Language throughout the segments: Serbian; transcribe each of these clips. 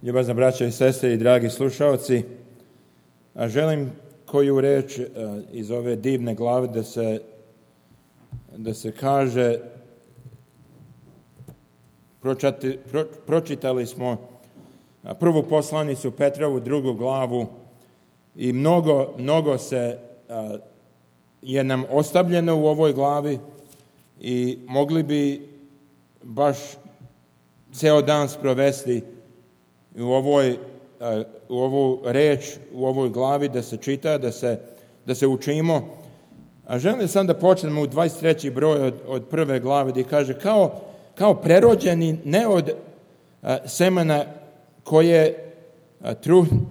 Ljubazna braća i sestre i dragi slušaoci, želim koju reč iz ove divne glave da se kaže. Pročitali smo prvu poslanicu Petrovu, 2. glavu i mnogo je nam ostavljeno u ovoj glavi i mogli bi baš ceo dan sprovesti u ovu reč, u ovoj glavi da se čita, da se učimo. A želim sam da počnemo u 23. broj od prve glave gdje kaže kao prerođeni ne od semena koje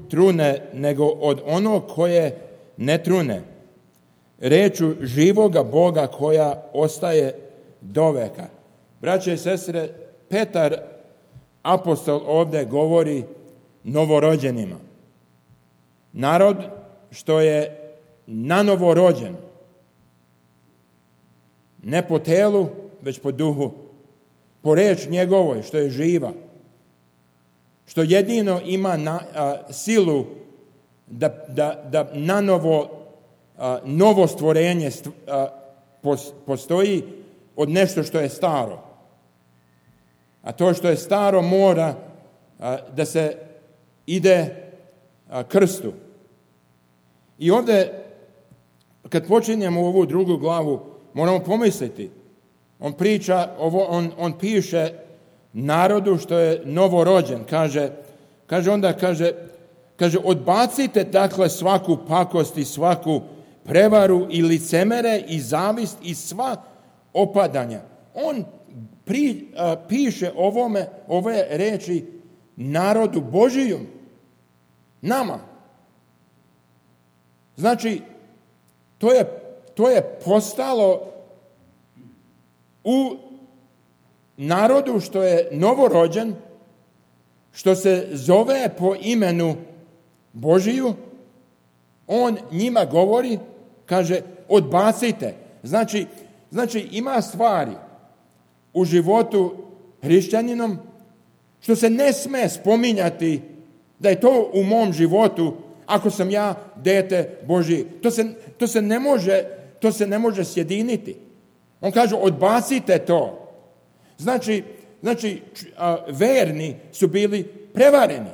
trune, nego od onog koje ne trune, reču živoga Boga koja ostaje doveka. Braće i sestre, Petar apostol ovdje govori novorođenima. Narod što je nanovo rođen, ne po telu, već po duhu, po reč njegovoj što je živa, što jedino ima silu da novo stvorenje postoji od nešto što je staro. A to što je staro mora da se ide krstu. I ovdje, kad počinjemo ovu 2. glavu, moramo pomisliti. On piše narodu što je novorođen. Kaže, odbacite dakle svaku pakost i svaku prevaru i licemere i zavist i sva opadanja. On piše ove reči narodu Božijom, nama. Znači, to je postalo u narodu što je novorođen, što se zove po imenu Božiju. On njima govori, kaže, odbacite. Znači ima stvari u životu hrišćaninom što se ne sme spominjati da je to u mom životu ako sam ja dete Božije. To se ne može sjediniti. On kaže, odbacite to. Znači, verni su bili prevareni.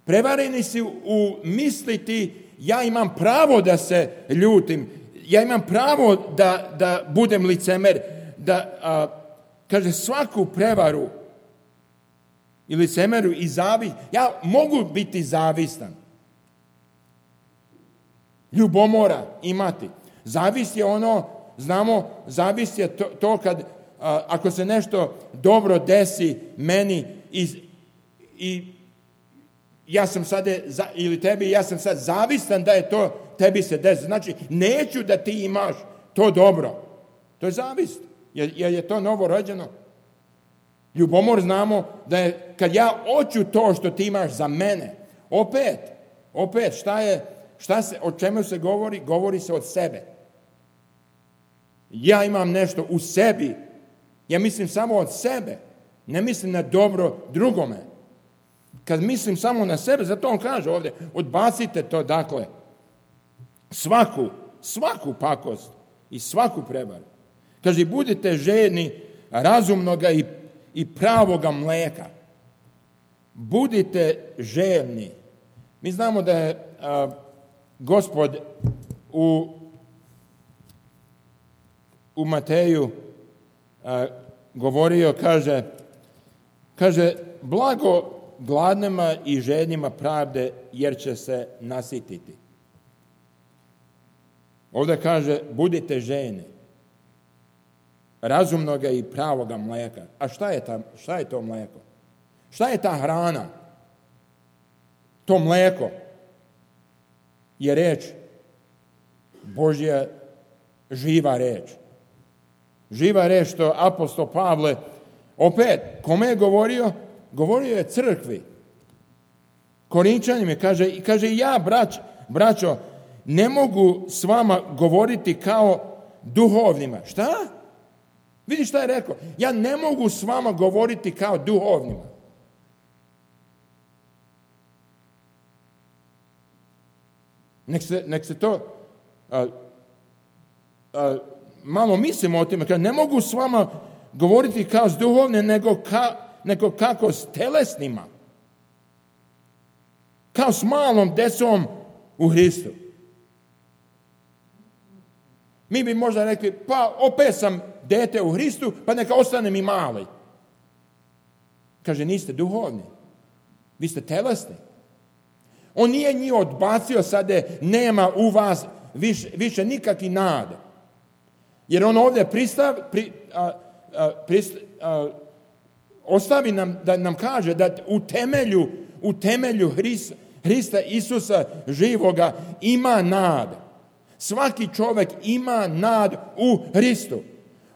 Prevareni su u misliti, ja imam pravo da se ljutim, ja imam pravo da budem licemer, kaže, svaku prevaru i licemeru i zavist, ja mogu biti zavistan. Ljubomora imati. Zavist je znamo, zavist je to kad, ako se nešto dobro desi meni i ja sam sad, ili tebi, ja sam sad zavistan da je to tebi se desi. Znači, neću da ti imaš to dobro. To je zavist, jer je to novorođeno. Ljubomor znamo da je, kad ja hoću to što ti imaš za mene, opet, o čemu se govori? Govori se od sebe. Ja imam nešto u sebi. Ja mislim samo od sebe. Ne mislim na dobro drugome. Kad mislim samo na sebe, zato on kaže ovdje, odbacite to, dakle, svaku pakost i svaku prevaru. Kaže, budite žedni razumnoga i pravoga mleka. Budite žedni. Mi znamo da je Gospod u Mateju govorio, kaže, blago gladnima i žednima pravde, jer će se nasititi. Ovdje kaže, budite žedni razumnoga i pravoga mleka. A šta je to mleko? Šta je ta hrana? To mleko je reč Božja, živa reč. Živa reč što apostol Pavle, opet, kome je govorio? Govorio je crkvi. Korinčanima kaže, ja, braćo, ne mogu s vama govoriti kao duhovnima. Šta? Vidi šta je rekao. Ja ne mogu s vama govoriti kao duhovnima. Nek se to malo mislimo o time. Ne mogu s vama govoriti kao s duhovne, nego kako s telesnima. Kao s malom decom u Hristu. Mi bi možda rekli, pa opet sam dete u Hristu, pa neka ostanem i mali. Kaže, niste duhovni. Vi ste telesni. On nije njih odbacio sada, nema u vas više nikakvi nade. Jer on ovdje ostavi nam da nam kaže da u temelju Hrista Isusa živoga ima nade. Svaki čovjek ima nadu u Hristu.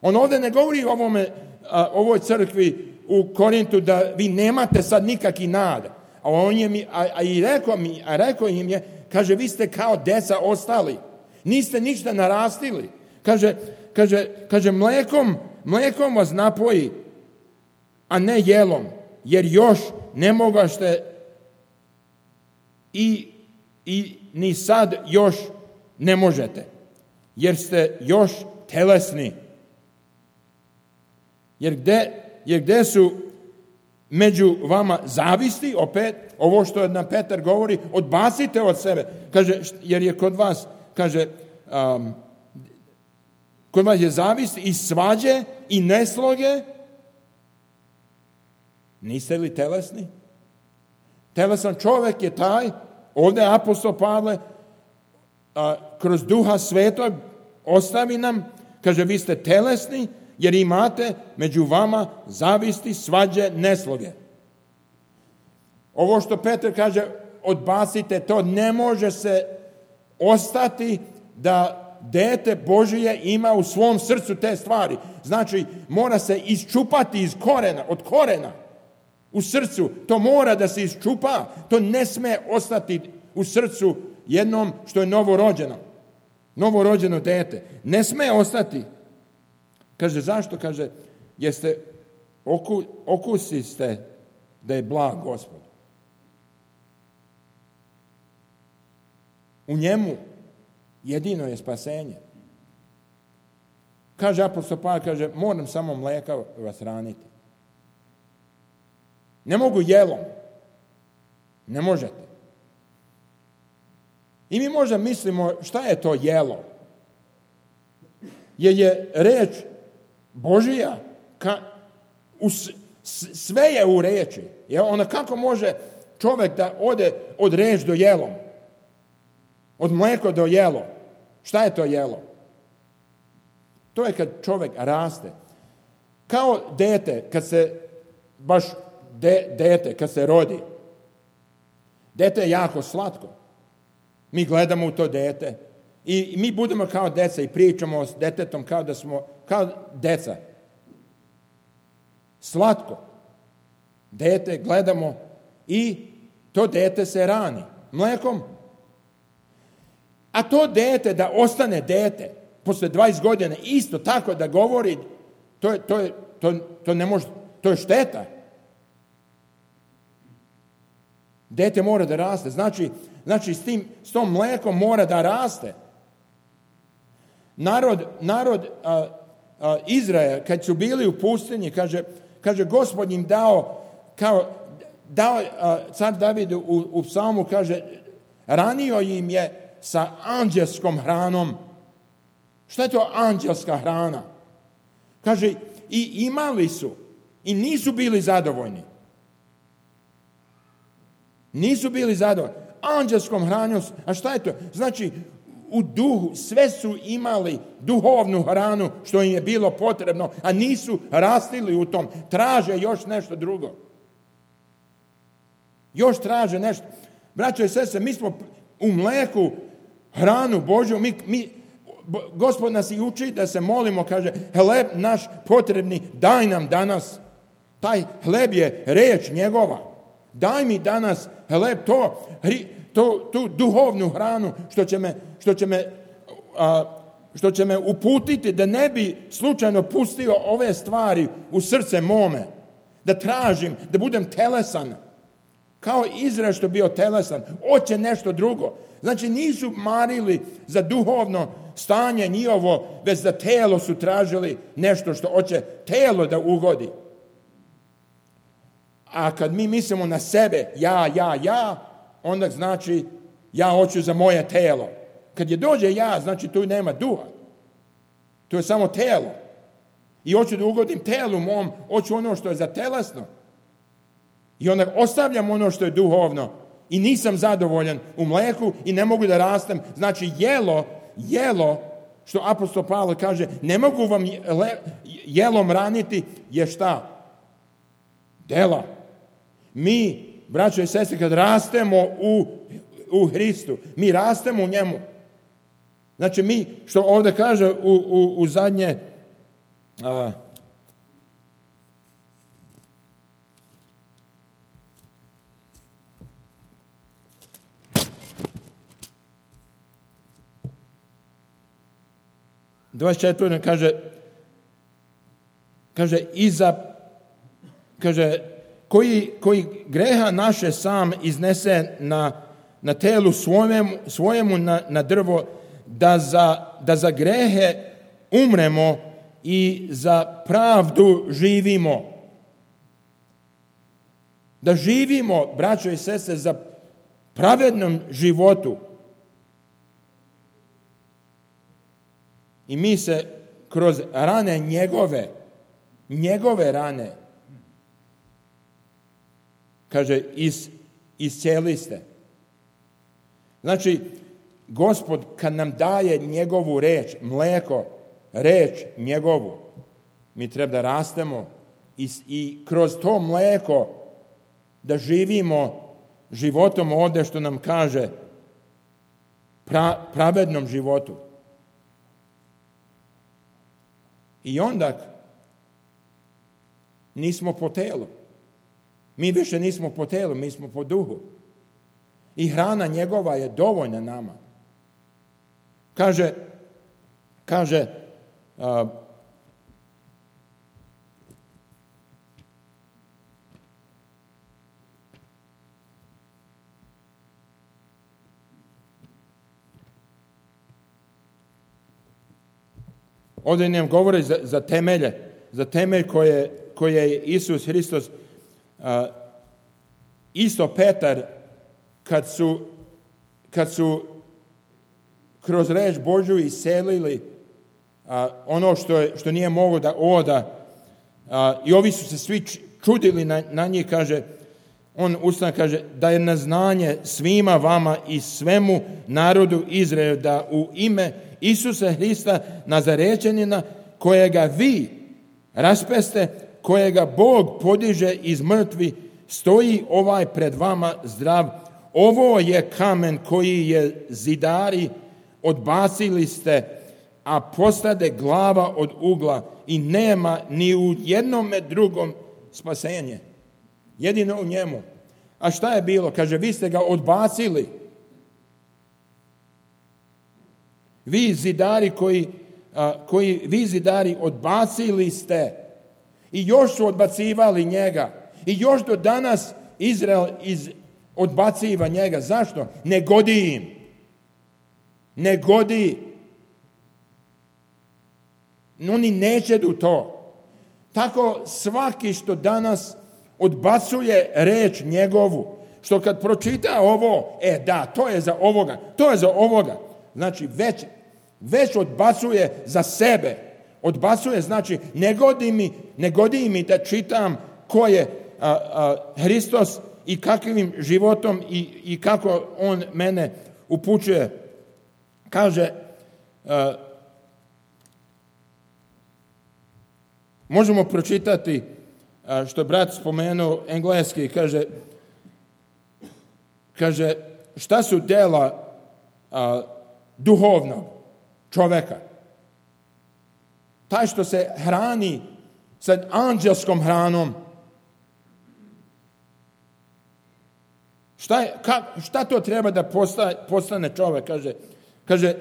On ovdje ne govori ovoj crkvi u Korintu da vi nemate sad nikakvi nada. A rekao im je, kaže, vi ste kao deca ostali. Niste ništa narastili. Kaže mlekom vas napoji, a ne jelom, jer još ne mogašte i ni sad još ne možete, jer ste još telesni. Jer gde su među vama zavisti, opet, ovo što nam Petar govori, odbacite od sebe. Kaže, jer je kod vas, kaže, kod vas je zavist i svađe i nesloge. Niste li telesni? Telesan čovjek je taj, ovdje apostol Pavle, kroz Duha Svetog ostavi nam, kaže, vi ste telesni, jer imate među vama zavisti, svađe, nesloge. Ovo što Petar kaže, odbacite, to ne može se ostati da dete Božije ima u svom srcu te stvari. Znači, mora se isčupati od korena u srcu. To mora da se isčupa. To ne sme ostati u srcu jednom što je novorođeno dete. Ne sme ostati. Kaže, zašto? Kaže, jeste okusiste da je blag Gospod. U njemu jedino je spasenje. Kaže apostol Pavle, kaže, moram samo mleka vas hraniti. Ne mogu jelom. Ne možete. I mi možda mislimo, šta je to jelo? Jer je reč Božija, sve je u reči. Onda kako može čovjek da ode od reč do jelom? Od mleko do jelo. Šta je to jelo? To je kad čovjek raste. Kao dete, kad se rodi. Dete je jako slatko. Mi gledamo u to dete i mi budemo kao deca i pričamo s detetom kao da smo kao deca. Slatko. Dete gledamo i to dete se rani mlekom. A to dete da ostane dete posle 20 godina isto tako da govori, to ne može, to je šteta. Dete mora da raste. Znači s tom mlekom mora da raste. Narod Izrael, kad su bili u pustinji, kaže Gospod im dao car David u psalmu, kaže, ranio im je sa anđelskom hranom. Šta je to anđelska hrana? Kaže, i imali su, i nisu bili zadovoljni. Nisu bili zadovoljni. Anđelskom hranom, a šta je to? Znači, u duhu, sve su imali duhovnu hranu što im je bilo potrebno, a nisu rastili u tom. Traže još nešto drugo. Još traže nešto. Braćo i sestre, mi smo u mleku hranu Božju, Gospod nas i uči da se molimo, kaže, hleb naš potrebni, daj nam danas. Taj hleb je reč njegova. Daj mi danas hleb, tu duhovnu hranu što će me uputiti da ne bi slučajno pustio ove stvari u srce mome. Da tražim, da budem telesan. Kao Izrael što bio telesan. Hoće nešto drugo. Znači nisu marili za duhovno stanje njihovo, već za telo su tražili nešto što hoće telo da ugodi. A kad mi mislimo na sebe, ja, onda znači ja hoću za moje telo. Kad je dođe ja, znači tu nema duha. To je samo telo. I hoću da ugodim telu mom, hoću ono što je za telesno. I onda ostavljam ono što je duhovno i nisam zadovoljan u mleku i ne mogu da rastem. Znači jelo, što apostol Pavle kaže, ne mogu vam jelom raniti, je šta? Dela. Mi, braćo i sestre, kad rastemo u Hristu, mi rastemo u njemu. Znači mi, što ovdje kaže u zadnje, kaže koji greha naše sam iznese na telu svojemu na drvo, da za grehe umremo i za pravdu živimo. Da živimo, braćo i sestre, za pravednom životu. I mi se kroz rane njegove rane, kaže, iscijeli ste. Znači, Gospod kad nam daje njegovu reč, mleko, reč njegovu, mi treba da rastemo i kroz to mleko da živimo životom ovdje što nam kaže pravednom životu. I onda nismo po telu. Mi više nismo po telu, mi smo po duhu. I hrana njegova je dovoljna nama. Kaže ovdje nam govori za temelje, za temelj koje je Isus Hristos, isto Petar, kad su kroz reč Božju iselili ono što nije moglo da oda, i ovi su se svi čudili na njih, kaže, on ustane, kaže, da je na znanje svima vama i svemu narodu Izraela da u ime Isusa Hrista Nazarečanina, kojega vi raspeste, kojega Bog podiže iz mrtvi, stoji ovaj pred vama zdrav. Ovo je kamen koji je zidari odbacili ste, a postade glava od ugla i nema ni u jednome drugom spasenje. Jedino u njemu. A šta je bilo? Kaže, vi ste ga odbacili. Vi zidari odbacili ste. I još su odbacivali njega. I još do danas Izrael odbaciva njega. Zašto? Ne godi im. Ne godi. Oni neće do to. Tako svaki što danas odbacuje reč njegovu, što kad pročita ovo, da, to je za ovoga. Znači, već odbacuje za sebe. Odbacuje, znači, ne godi mi da čitam ko je Hristos i kakvim životom i kako on mene upućuje. Kaže, možemo pročitati što brat spomenuo engleski, kaže šta su dela duhovnog čoveka? Taj što se hrani sa anđelskom hranom. Šta to treba da postane čovek? Kaže,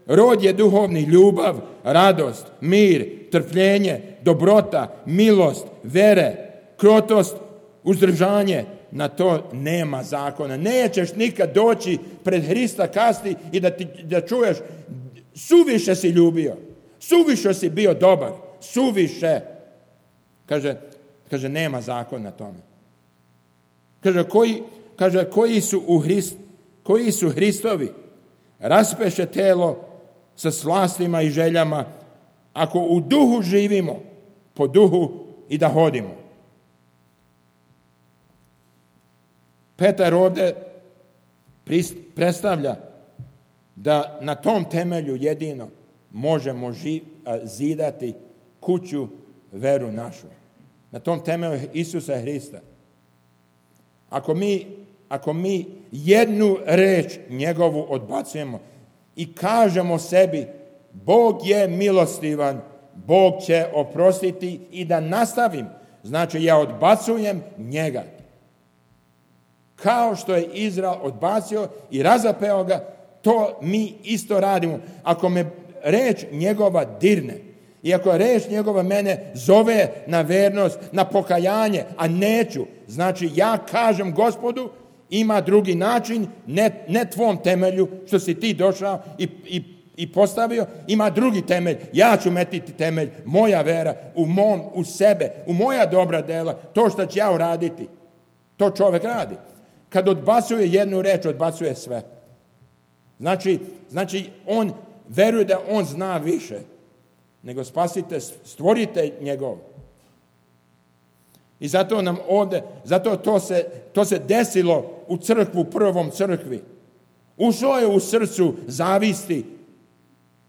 rod je duhovni, ljubav, radost, mir, trpljenje, dobrota, milost, vere, krotost, uzdržanje. na to nema zakona. Nećeš nikad doći pred Hrista kasti i da čuješ suviše si ljubio, suviše si bio dobar, suviše. Kaže nema zakona na tome. Kaže koji su Hristovi, raspeše telo sa slastima i željama, ako u duhu živimo, po duhu i da hodimo. Petar ovdje predstavlja da na tom temelju jedino možemo zidati kuću veru našu. Na tom temelju Isusa Hrista. Ako mi jednu reč njegovu odbacujemo i kažemo sebi Bog je milostivan, Bog će oprostiti i da nastavim, znači ja odbacujem njega. Kao što je Izrael odbacio i razapeo ga, to mi isto radimo. Ako me reč njegova dirne i ako reč njegova mene zove na vernost, na pokajanje, a neću, znači ja kažem Gospodu, ima drugi način, ne tvom temelju što si ti došao i postavio, ima drugi temelj. Ja ću metiti temelj, moja vera u sebe, u moja dobra dela, to što ću ja uraditi. To čovjek radi. Kad odbacuje jednu reč, odbacuje sve. Znači on veruje da on zna više nego spasite, stvorite njegov. I zato nam ovdje, to se desilo u crkvu, prvom crkvi. Ušlo je u srcu zavisti,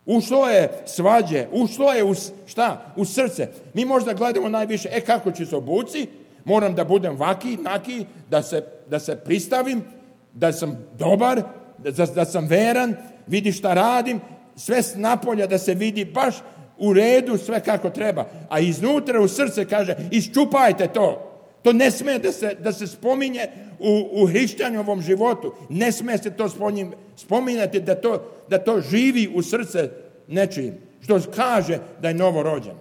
ušlo je svađe, ušlo je u srce. Mi možda gledamo najviše, kako ću se obuci, moram da budem vaki, naki, da se pristavim, da sam dobar, da sam veran, vidi šta radim, sve s napolja da se vidi baš u redu, sve kako treba. A iznutra u srce kaže, iščupajte to. To ne smije da se spominje u hrišćanovom životu. Ne smije se to spominjati da to živi u srce nečijim. Što kaže da je novorođen.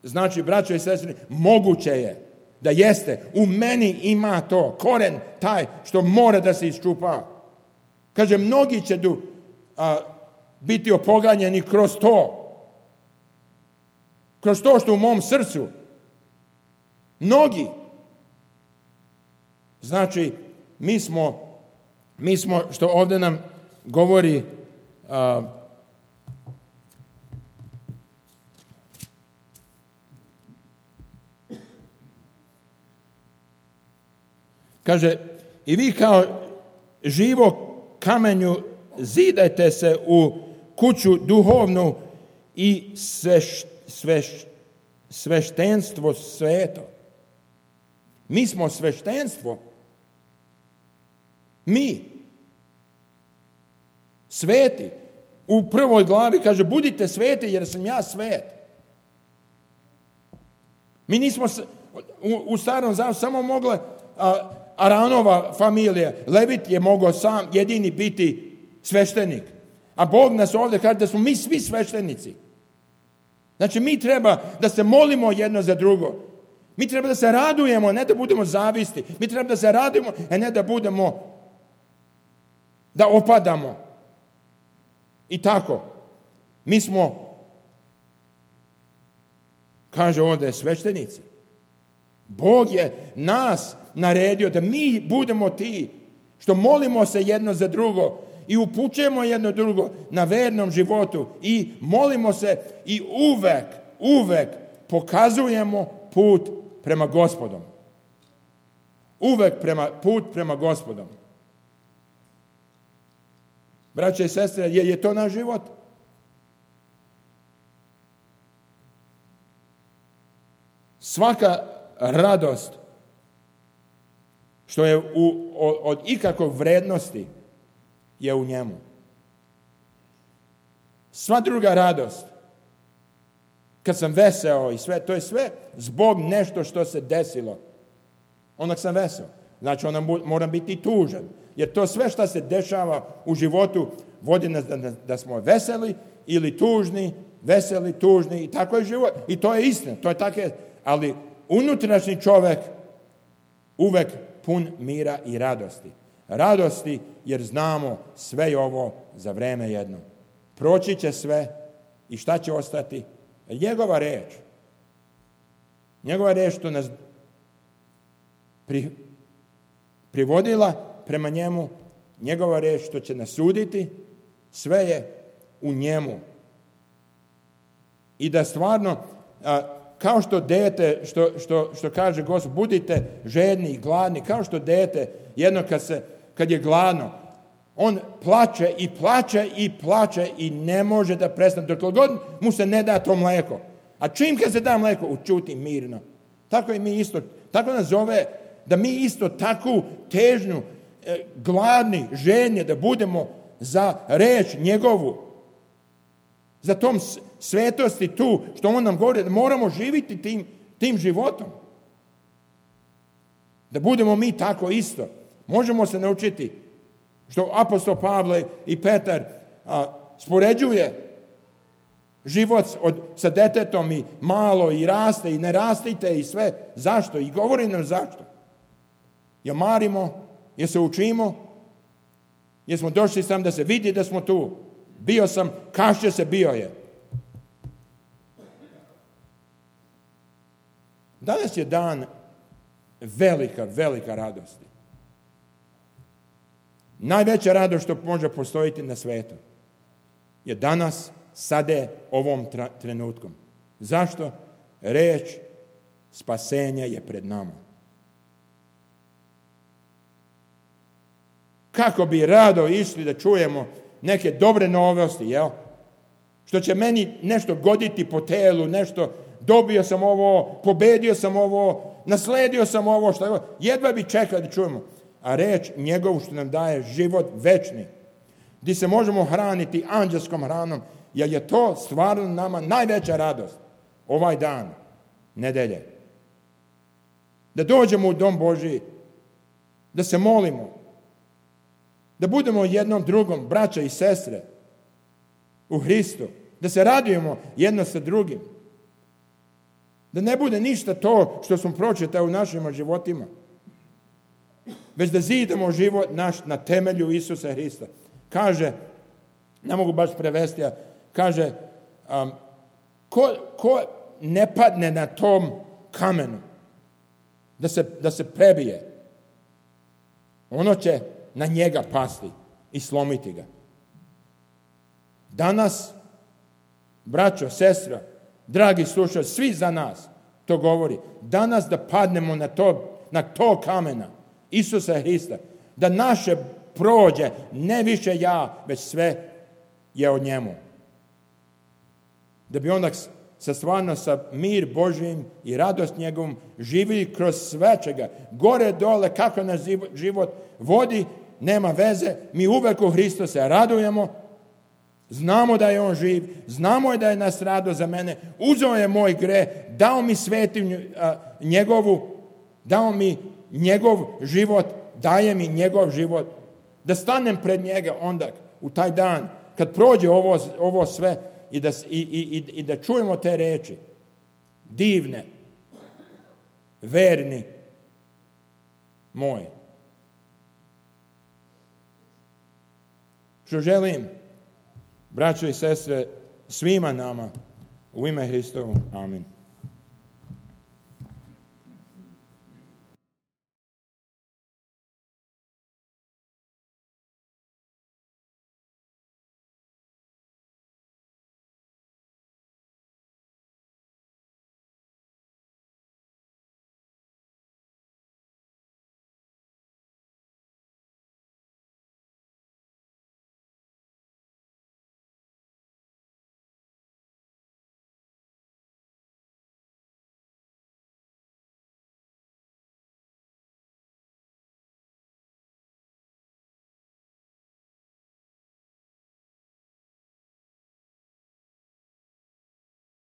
Znači, braćo i sestre, moguće je da jeste. U meni ima to, koren taj što mora da se iščupa. Kaže, mnogi će biti opoganjeni kroz to. Kroz to što u mom srcu. Mnogi. Znači, mi smo što ovdje nam govori kaže, i vi kao živo kamenju zidajte se u kuću duhovnu i sveštenstvo sveto. Mi smo sveštenstvo. Mi. Sveti. U prvoj glavi kaže, budite sveti jer sam ja svet. Mi nismo u starom zavetu samo mogle Aronova familija, Levit je mogao sam jedini biti sveštenik. A Bog nas ovdje kaže da smo mi svi sveštenici. Znači mi treba da se molimo jedno za drugo. Mi treba da se radujemo, ne da budemo zavisti. Mi treba da se radujemo, a ne da opadamo. I tako. Mi smo, kaže ovdje, sveštenici. Bog je nas naredio da mi budemo ti što molimo se jedno za drugo i upućujemo jedno drugo na vernom životu i molimo se i uvek pokazujemo put prema Gospodom. Uvek put prema Gospodom. Braće i sestre, je to naš život? Svaka radost što je od ikakvog vrednosti je u njemu. Sva druga radost, kad sam veseo i sve, to je sve zbog nešto što se desilo. Onak sam veseo. Znači, onda moram biti tužan. Jer to sve što se dešava u životu vodi nas da smo veseli ili tužni, veseli, tužni i tako je život. I to je istina. To je tako, ali unutrašnji čovjek uvek pun mira i radosti. Radosti jer znamo sve je ovo za vreme jedno. Proći će sve i šta će ostati? Njegova reč. Njegova reč što nas privodila prema njemu, njegova reč što će nas suditi, sve je u njemu. I da stvarno, kao što dete, što kaže Gospod, budite žedni i gladni, kao što dete, jedno kad je gladno, on plače i plače i plače i ne može da prestane, dok god mu se ne da to mleko. A čim kad se da mleko, učuti mirno. Tako i mi isto, tako nas zove, da mi isto takvu težnju, gladni, žedni, da budemo za reč njegovu, za tom svetosti tu, što on nam govori, da moramo živiti tim životom. Da budemo mi tako isto. Možemo se naučiti, što apostol Pavle i Petar spoređuje život sa detetom i malo i raste i ne rastite i sve. Zašto? I govori nam zašto. Jer marimo, jer se učimo, jer smo došli sam da se vidi da smo tu. Bio sam, kašće se, bio je. Danas je dan velika, velika radosti. Najveća radost što može postojiti na svijetu je danas, sada, ovom trenutkom. Zašto? Reč spasenja je pred nama. Kako bi rado išli da čujemo neke dobre novosti, jel? Što će meni nešto goditi po telu, nešto, dobio sam ovo, pobedio sam ovo, nasledio sam ovo, što jedva bi čekali da čujemo. A reč njegovu što nam daje život večni, gdje se možemo hraniti anđelskom hranom, jer je to stvarno nama najveća radost ovaj dan, nedelje. Da dođemo u dom Božji, da se molimo, da budemo jednom drugom, braća i sestre, u Hristu, da se radujemo jedno sa drugim. Da ne bude ništa to što smo pročitali u našim životima, već da zidamo život naš na temelju Isusa Hrista. Kaže, ne mogu baš prevesti, kaže, ko ne padne na tom kamenu, da se prebije, ono će na njega pasti i slomiti ga. Danas, braćo, sestra, dragi slušalci, svi za nas to govori. Danas da padnemo na to kamena Isusa Hrista, da naše prođe, ne više ja, već sve je od njemu. Da bi onda stvarno sa mir Božjim i radost njegovom živili kroz sve čega. Gore, dole, kako naš život vodi, nema veze. Mi uvek u Hristu se radujemo. Znamo da je on živ. Znamo da je nastradao za mene. Uzeo je moj greh. Dao mi svetinju njegovu. Dao mi njegov život. Daje mi njegov život. Da stanem pred njega onda u taj dan kad prođe ovo sve i da čujemo te reči. Divne. Verni moj. Što želim, braćo i sestre, svima nama, u ime Hristovu. Amin.